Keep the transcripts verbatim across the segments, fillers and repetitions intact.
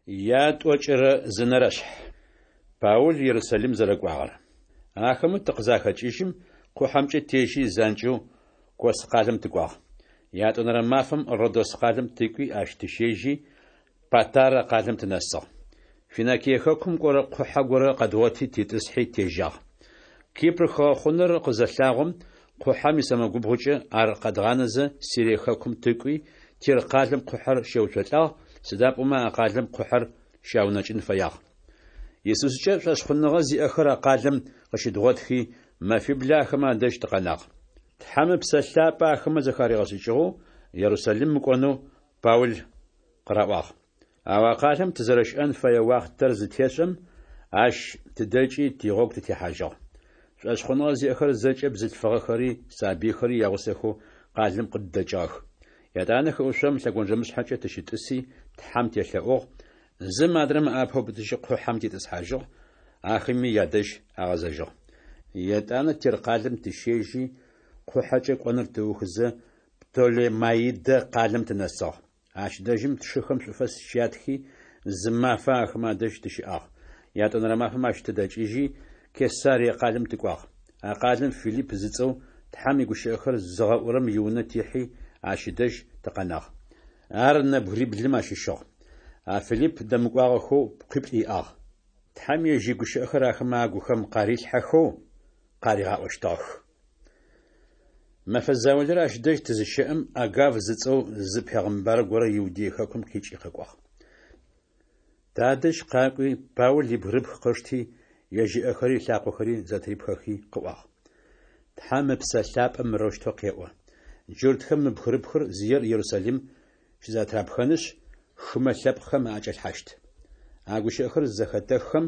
Ятӏокӏырэ зы нэрэшъхь. Паул Ерусалим зэрэкӏуагъэр. Ахэмэ тыкъызахэкӏыжьым, къухьэмкӏэ тежьи занкӏэу Кос къалэм тыкӏуагъ. Ятӏонэрэ мафэм Родос къалэм тыкӏуи, ащ тыщежьи, Патарэ къалэм тынэсыгъ. Финикие хэкум кӏорэ къухьэ горэ къэдгъоти титӏысхьи тежьагъ. Кипр хыгъэхъунэр къызэлъагъом, къухьэм исэмэгубгъукӏэ ар къэдгъанэзэ, Сирие хэкум тыкӏуи, Тир къалэм къухьэр щеуцолӏагъ, сыда пӏомэ а къалэм къухьэр щаунэкӏын фэягъ. Исускӏэ шӏошъхъуныгъэ зиӏэхэр а къалэм къыщыдгъотхи, мэфиблэ ахэмэ адэжь тыкъэнагъ. Тхьэм Ыпсэ Лъапӏэ ахэмэ зэхаригъэшӏыкӏыгъэу Ерусалим мыкӏонэу Паул къыраӏуагъ. Ау а къалэм тызэрэщыӏэн фэе уахътэр зытешӏэм, ащ тыдэкӏи тигъогу тытехьажьыгъ. Шӏошъхъуныгъэ зиӏэхэр зэкӏэ бзылъфыгъэхэри сабыйхэри ягъусэхэу къалэм къыддэкӏыгъэх. Етӏанэ хыӏушъом лъэгонджэмышъхьэкӏэ тыщытӏыси, Тхьэм телъэӏугъ, зым адрэм ыӏапэ ыубытыжьи къухьэм титӏысхьажьыгъ, ахэми ядэжь агъэзэжьыгъ. Етӏанэ Тир къалэм тыщежьи, къухьэкӏэ кӏоныр тыухызэ, Птолемаидэ къалэм тынэсыгъ. Ащ дэжьым тшыхэм шӏуфэс щятхи, зы мафэ ахэмэ адэжь тыщыӏагъ. Ятӏонэрэ мафэм ащ тыдэкӏыжьи, Кесарие къалэм тыкӏуагъ. А къалэм Филипп зыцӏэу Тхьэм игущыӏэхэр зыгъэӏурэм иунэ тихьи, ащ ыдэжь тыкъэнагъ. Ар нэбгыриблым ащыщыгъ. А Филипп дэмыкӏуагъэхэу къуиплӏ иӏагъ. Тхьэм ежь игущыӏэхэр ахэмэ агухэм къарилъхьэхэу къаригъаӏощтыгъэх. Мэфэ заулэрэ ащ дэжь тызыщэӏэм, Агав зыцӏэу зы пегъымбар горэ Иудей хэкум къикӏи къэкӏуагъ. Тадэжь къакӏуи, Паул ибгырыпх къышти, ежь ыӏэхэри ылъакъохэри зэтырипхэхи къыӏуагъ: Тхьэм Ыпсэ Лъапӏэ мырэущтэу къеӏо: Джуртхэм мы бгырыпхыр зиер Ерусалим щызэтырапхэнышъ, хымэ лъэпкъхэм аӏэкӏалъхьащт. А гущыӏэхэр зызэхэтэххэм,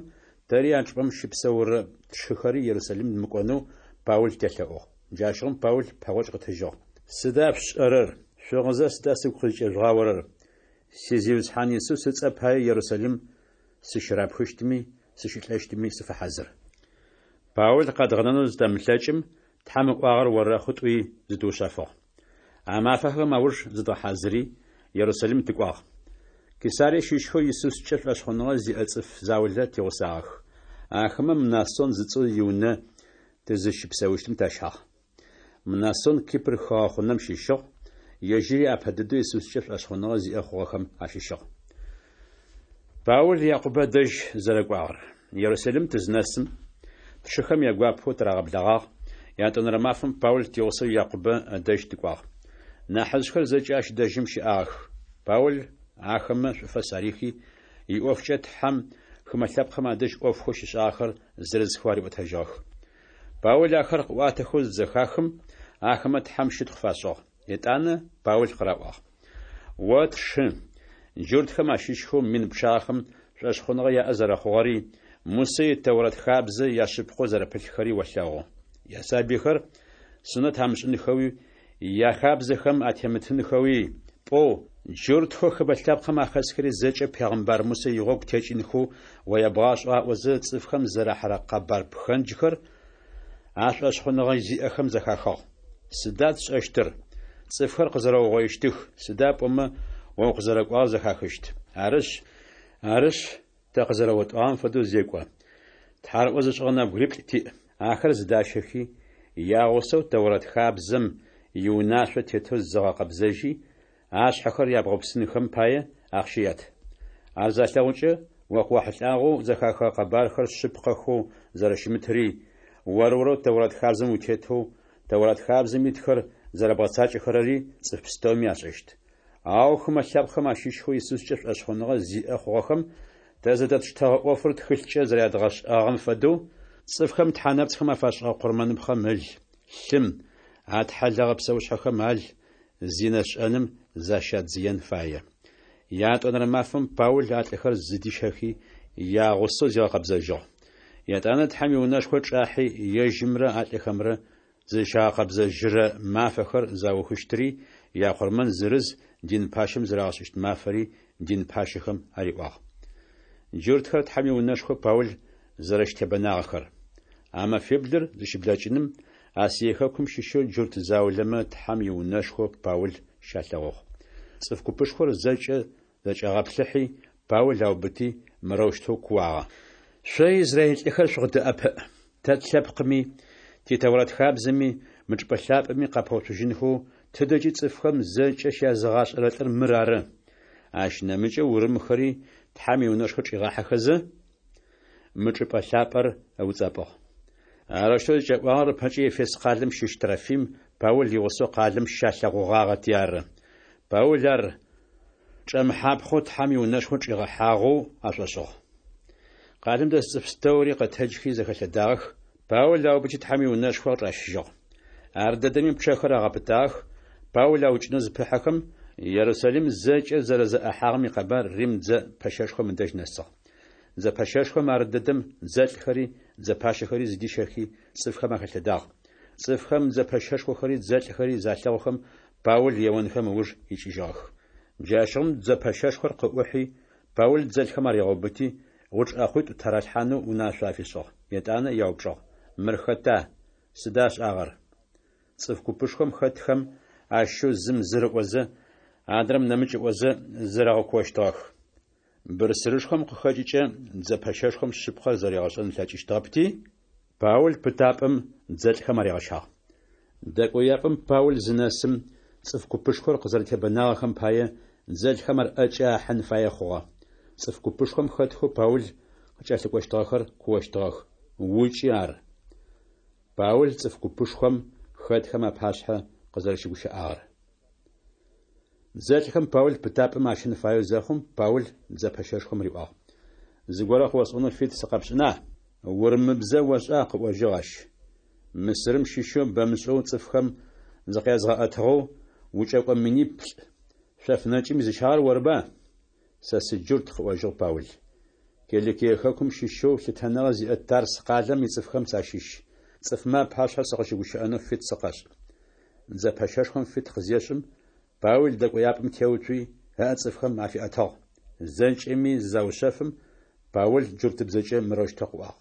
тэри а чӏыпӏэм щыпсэурэ тшыхэри Ерусалим мыкӏонэу Паул телъэӏугъ. Джащыгъум Паул пэгъокӏ къытыжьыгъ: Сыда шъушӏэрэр? Шъугъызэ сыда сыгу къызкӏежъугъаорэр? Си Зиусхьан Исус ыцӏэ пае Ерусалим сыщырапхыщтми сыщылӏэщтми сыфэхьазыр. Паул къэдгъэнэнэу зытэмылъэкӏым, Тхьэм ыӏуагъэр орэхъу тӏуи зытыушъэфыгъ. А мафэхэм ауж зыдгъэхьазыри, Ерусалим тыкӏуагъ. Кесарие щыщхэу Исускӏэ шӏошъхъуныгъэ зиӏэ цӏыф заулэ тигъусагъэх. Ахэмэ Мнасон зыцӏэу иунэ тызыщыпсэущтым тащагъ. Мнасон Кипр хыгъэхъунэм щыщыгъ, ежьыри апэ дэдэу Исускӏэ шӏошъхъуныгъэ зиӏэ хъугъэхэм ащыщыгъ. Паул Якъубэ дэжь зэрэкӏуагъэр. Ерусалим тызнэсым, тшыхэм ягуапэу тырагъэблэгъагъ. Ятӏонэрэ мафэм Паул тигъусэу Якъубэ ыдэжь тыкӏуагъ. Нахьыжъхэр зэкӏэ ащ дэжьым щыӏагъэх. Паул ахэмэ шӏуфэс арихи, иӏофкӏэ Тхьэм хымэ лъэпкъхэм адэжь ӏофхэу щишӏагъэхэр зырызхэу ариӏотэжьыгъэх. Паул ахэр къыӏуатэхэу зызэхахым, ахэмэ Тхьэм щытхъу фашӏыгъ. Етӏанэ Паул къыраӏуагъ: О тшы, джуртхэм ащыщхэу мин пчъагъэхэм шӏошъхъуныгъэ яӏэ зэрэхъугъэри, Мусэ и Тэурэт хабзэ яшъыпкъэу зэрэпылъхэри олъэгъу. Ясабыйхэр сунэт амышӏынхэуи, яхабзэхэм атемытынхэуи пӏоу, джуртхэу хымэ лъэпкъхэм ахэсхэри зэкӏэ пегъымбар Мусэ игъогу текӏынхэу о ябгъашӏэу аӏозэ, цӏыфхэм зэрахьэрэ къэбар пхэнджхэр а шӏошъхъуныгъэ зиӏэхэм зэхахыгъ. Сыда тшӏэщтыр? Цӏыфхэр къызэрэугъоищтых, сыда пӏомэ о укъызэрэкӏуагъэр зэхахыщт. Арышъ, арышъ, тэ къызэрэотӏуагъэм фэдэу зекӏо. Тхьарыӏо зышӏыгъэ нэбгыриплӏ тиӏ. Ахэр зыдащэхи, ягъусэу Тэурэт хабзэм иунашъо тетэу зыгъэкъэбзэжьи, ашъхьэхэр ябгъэупсынхэм пае ахъщэ ят. Ар залъэгъукӏэ, о къыуахьылӏагъэу зэхахыгъэ къэбархэр шъыпкъэхэу зэрэщымытри, ор-орэу Тэурэт хабзэм утетэу, Тэурэт хабзэм итхэр зэрэбгъэцакӏэхэрэри цӏыф пстэуми ашӏэщт. Ау хымэ лъэпкъхэм ащыщхэу Исускӏэ шӏошъхъуныгъэ зиӏэ хъугъэхэм тэ зэдэтштэгъэ ӏофыр тхылъкӏэ зэрядгъэшӏагъэм фэдэу, цӏыфхэм тхьэ нэпцӏхэм афашӏыгъэ къурмэныпхъэм ыл, лъым, атхьэлэгъэ псэушъхьэхэм ал, зинэ шӏэным защадзыен фае. Ятӏонэрэ мафэм Паул а лӏыхэр зыдищэхи, ягъусэу зигъэкъэбзэжьыгъ. Етӏанэ Тхьэм иунэшхо чӏахьи, ежьымрэ а лӏыхэмрэ зызщагъэкъэбзэжьырэ мафэхэр заухыщтыри, якъурмэн зырыз дин пащэм зэрагъэшӏыщт мафэри дин пащэхэм ариӏуагъ. Джуртхэр Тхьэм иунэшхо Паул зэрэщытебэнагъэхэр. А мэфиблыр зыщыблэкӏыным, Асие хэкум щыщэу джурт заулэмэ Тхьэм иунэшхо Паул щалъэгъугъ. Цӏыф купышхор зэкӏэ зэкӏагъэплъыхьи, Паул аубыти, мырэущтэу кууагъэ: «Шъо израил лӏыхэр шъукъыддэӏэпыӏ! Тэ тлъэпкъыми, ти Тэурат хабзэми, мы чӏыпӏэ лъапӏэми къапэуцужьынхэу тыдэкӏи цӏыфхэм зэкӏэ щязыгъашӏэрэ лӏыр мыр ары. Ащ нэмыкӏэу урымхэри Тхьэм иунэшхо чӏигъахьэхэзэ, мы чӏыпӏэ лъапӏэр ыуцӏэпӏыгъ». Арэущтэу зыкӏаӏуагъэр ыпэкӏэ Ефес къалэм щыщ Трофим Паул игъусэу къалэм щалъэгъугъагъэти ары. Паул ар чӏэмыхьапхъэу Тхьэм иунэшхо чӏигъэхьагъэу ашӏошӏыгъ. Къалэм дэс цӏыф пстэури къэтэджхи зэхэлъэдагъэх, Паул аубыти Тхьэм иунэшхо чӏащыжьыгъ. Ардэдэми пчъэхэр агъэпытагъэх, Паул аукӏынэу зыпыхьэхэм, Ерусалим зэкӏэ зэрэзэӏэхьагъэм икъэбар Рим дзэ пэщэшхом ыдэжь нэсыгъ. Дзэ пэщэшхом ардэдэм дзэлӏхэри дзэ пащэхэри зыдищэхи, цӏыфхэм ахэлъэдагъ. Цӏыфхэм дзэ пэщэшхохэри дзэлӏхэри залъэгъухэм, Паул еонхэм ыуж икӏыжьыгъэх. Джащыгъум дзэ пэщэшхор къыӏухьи, Паул дзэлӏхэм аригъэубыти, гъучӏ ӏэхъуитӏу тыралъхьанэу унашъо афишӏыгъ. Етӏанэ яупчӏыгъ: «Мыр хэта, сыда ышӏагъэр?» Цӏыф купышхом хэтхэм ащыщэу зым зыр ыӏозэ, адрэм нэмыкӏ ыӏозэ, зэрэгъэкуощтыгъэх. Бырсырышхом къыхэкӏыкӏэ дзэ пэщэшхом шъыпкъэр зэригъэшӏэн ылъэкӏыщтыгъэпти, Паул пытапӏэм дзэлӏхэм аригъэщагъ. Дэкӏояпӏэм Паул зынэсым, цӏыф купышхор къызэрэтебэнагъэхэм пае дзэлӏхэм ар ӏэкӏэ ахьын фае хъугъэ. Цӏыф купышхом хэтхэу Паул къыкӏэлъыкӏощтыгъэхэр куощтыгъэх: «Укӏы ар!» Паул цӏыф купышхом хэтхэм апашъхьэ къызэрэщыгущыӏагъэр. Дзэлӏхэм Паул пытапӏэм ащэн фаеу зэхъум, Паул дзэ пэщэшхом риӏуагъ: «Зыгорэ къыосӏонэу фит сыкъэпшӏына?» «Урымыбзэ ошӏа?» – къыӏожьыгъ ащ. «Мысырым щыщэу бэмышӏэу цӏыфхэм зыкъязыгъэӏэтыгъэу, укӏэкӏо миниплӏ шъоф нэкӏым изыщагъэр орыба?» «Сэ сыджурт, – къыӏожьыгъ Паул. Киликие хэкум щыщэу лъытэныгъэ зиӏэ Тарс къалэм ицӏыфхэм сащыщ. Цӏыфмэ апашъхьэ сыкъыщыгущыӏэнэу фит сыкъэшӏ». Дзэ пэщэшхом фит къызешӏым, Паул дэкӏояпӏэм теуцуи, ыӏэ цӏыфхэм афиӏэтыгъ. Зэкӏэми зызаушъэфым, Паул джуртыбзэкӏэ мырэущтэу къыӏуагъ: